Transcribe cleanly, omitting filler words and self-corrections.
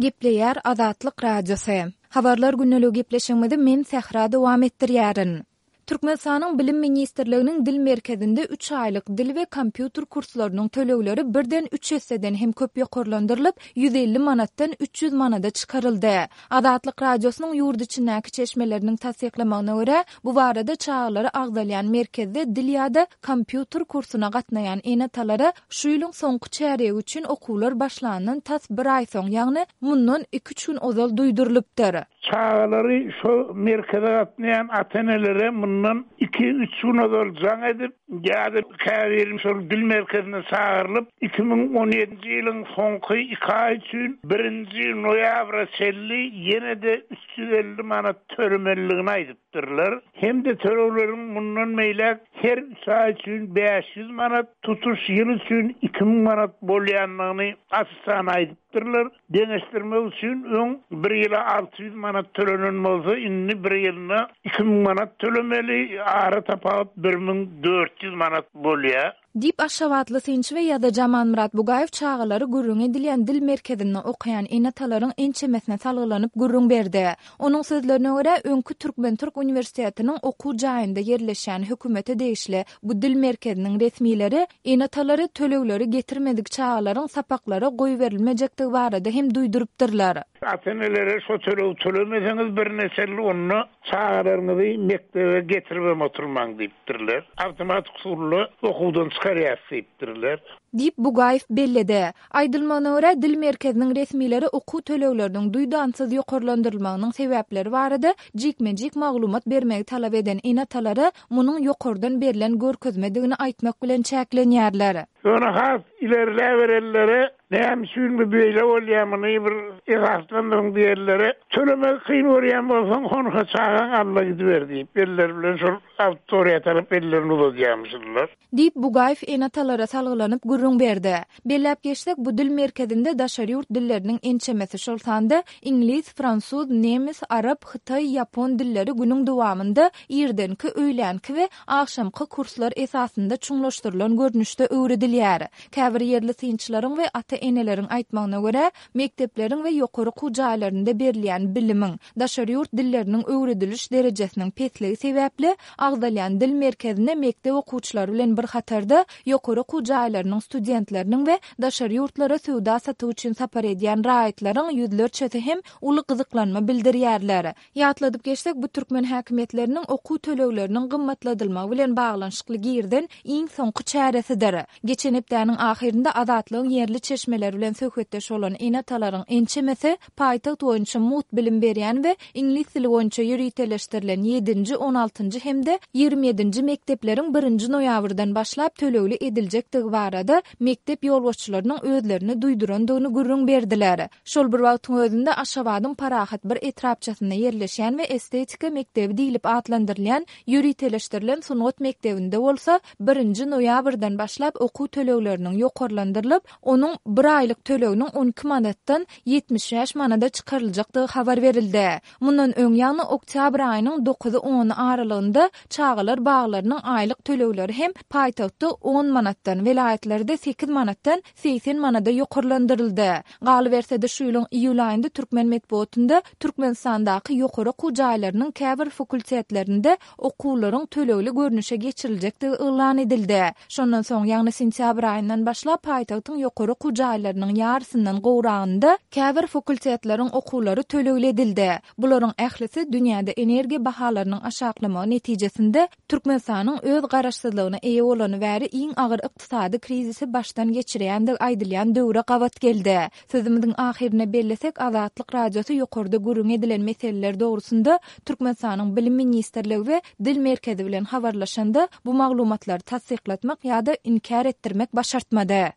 Gepleýär Azatlyk Radiosy. Habarlar gündeligi gepleşigimizi men Sähra dowam etdirýärin. Türkmenistanyň Bilim ministrliginiň Dil merkezinde üç aýlyk dil we kompýuter kurslarynyň tölegleri birden üç esseden hem köp ýokarlandyrylyp, 150 manatdan 300 manada çykaryldy. Azatlyk Radiosynyň ýurt içindäki çeşmeleriniň tassyklamagyna görä, bu barada çagalary agzalýan merkezde dil ýa-da kompýuter kursuna gatnaýan ene-atalara şu ýylyň soňky çärýegi üçin okuwlar başlandan tas bir aý soň, ýagny mundan iki-üç gün ozal duýdurylypdyr. Çagalary şo merkeze gatnaýan ata-enelere mundan iki-üç gün ozal jaň edip, ýa-da käbiri şol dil merkezine çagyrylyp, 2017-nji ýylyň soňky iki aýy üçin birinji noýabra çenli ýene-de 350 manat tölemelidigini aýdypdyrlar. Hem-de tölegleriň mundan beýläk her üç aý üçin 500 manat, tutuş ýyl üçin 2000 manat bolýandygyny aç-açan aýdypdyrlar. Deňeşdirmek üçin, öň bir ýyla 600 manat tölenen bolsa, indi bir ýylyna 2000 manat tölemeli, ara tapawut 1400 manat bolýar. Diýip, aşgabatly synçy we ýazyjy Amanmyrat Bugaýew çagalary gürrüňi edilýän dil merkezinde okaýan ene-atalaryň ençemesine salgylanyp gürrüň berdi. Onuň sözlerine görä, öňki Türkmen-türk uniwersitetiniň okuw jaýynda ýerleşýän hökümete degişli bu dil merkeziniň resmileri ene-atalary tölegleri getirmedik çagalaryň sapaklara goýberilmejekdigi barada hem duýdurypdyrlar. Ata-enelere şo tölegi tölemeseňiz birnäçe ýyl onda çagalaryňyzy mekdebe getiribem oturmaň diýipdirler. Awtomatik usulda okuwdan çykarýas diýipdirler. Diýip, Bugaýew belledi. Aýdylmagyna görä, Dil merkeziniň resmileri okuw tölegleriniň duýdansyz ýokarlandyrylmagynyň sebäpleri barada jikme-jik maglumat bermegi talap eden ene-atalara munuň ýokardan berlen görkezmedigini aýtmak bilen çäklenýärler. Ýöne has ilerläberenlere näme üçin bu beýle bolýar, muny bir esaslandyryň diýenlere, Tölemegi kyn görýän bolsaň, honha çagaň alda gidiber diýip, elleri bilen şol auditoriýa tarap ellerini uzadýarmyşynlar. Diýip, Bugaýew ene-atalara salgylanyp gürrüň berdi. Belläp geçsek, bu dil merkezinde daşary ýurt dilleriniň ençemesi, şol sanda iňlis, fransuz, nemes, arap, hytaý, ýapon dilleri günüň dowamynda irdenki, öýlänki we agşamky kurslar esasynda çuňlaşdyrylan görnüşde öwredilýär. Käbir ýerli synçylaryň we ata-eneleriň aýtmagyna görä, mekdepleriň we ýokary okuw jaýlarynda berilýän bilimiň, daşary ýurt dilleriniň öwrediliş derejesiniň pesligi sebäpli, agzalýan dil merkezine mekdep okuwçylary bilen bir hatarda, ýokary okuw jaýlarynyň studentleriniň we daşary ýurtlara söwda-satyk üçin sapar edýän raýatlaryň ýüzlerçesi hem uly gyzyklanma bildirýärler. Ýatladyp geçsek, bu türkmen häkimiýetleriniň okuw tölegleriniň gymmatladylmagy bilen baglanyşykly girizen iň soňky çäresidir. Geçen hepdäniň ahyrynda Azatlygyň ýerli çeşmeleri bilen söhbetdeş bolan ene-atalaryň ençemesi paýtagt boýunça mugt bilim berýän we iňlis dili boýunça ýöriteleşdirilen ýedinji, on altynjy hem-de 27-nji mekdepleriň birinji noýabrdan başlap tölegli ediljekdigi barada mekdep ýolbaşçylarynyň özlerini duýdurandygyny gürrüň berdiler. Şol bir wagtyň özünde Aşgabadyň Parahat bir etrapçasynda ýerleşýän we Estetika mekdebi diýlip atlandyrylýan ýöriteleşdirilen sungat mekdebinde bolsa birinji noýabrdan başlap okuw tölegleriniň ýokarlandyrylyp, onuň bir aýlyk töleginiň 12 manatdan 75 manada çykaryljakdygy habar berildi. Mundan öň, ýagny oktýabr aýynyň dokuzy-ony aralygynda çagalar baglarynyň aýlyk tölegleri hem paýtagtda on manatdan, welaýatlarda sekiz manatdan 80 manada ýokarlandyryldy. Galyberse-de, şu ýylyň iýul aýynda türkmen metbugatynda Türkmenistandaky ýokary okuw jaýlarynyň käbir fakultetlerinde okuwlaryň tölegli görnüşe geçiriljekdigi yglan edildi. Şondan soň, ýagny sentýabr aýyndan başlap paýtagtyň ýokary okuw jaýlarynyň ýarysyndan gowragynda käbir fakultetleriň okuwlary tölegli edildi. Bularyň ählisi dünýäde energiýa bahalarynyň aşaklamagy netijesinde Türkmenistanyň öz garaşsyzlygyna eýe bolany bäri iň agyr ykdysady krizisi başdan geçirýändigi aýdylýan döwre gabat geldi. Sözümiziň ahyrynda bellesek, Azatlyk Radiosy ýokarda gürrüňi edilen meseleler dogrusynda Türkmenistanyň Bilim ministrligi we Dil merkezi bilen habarlaşanda, bu maglumatlary tassyklatmak ýa-da inkär etdirmek başartmady.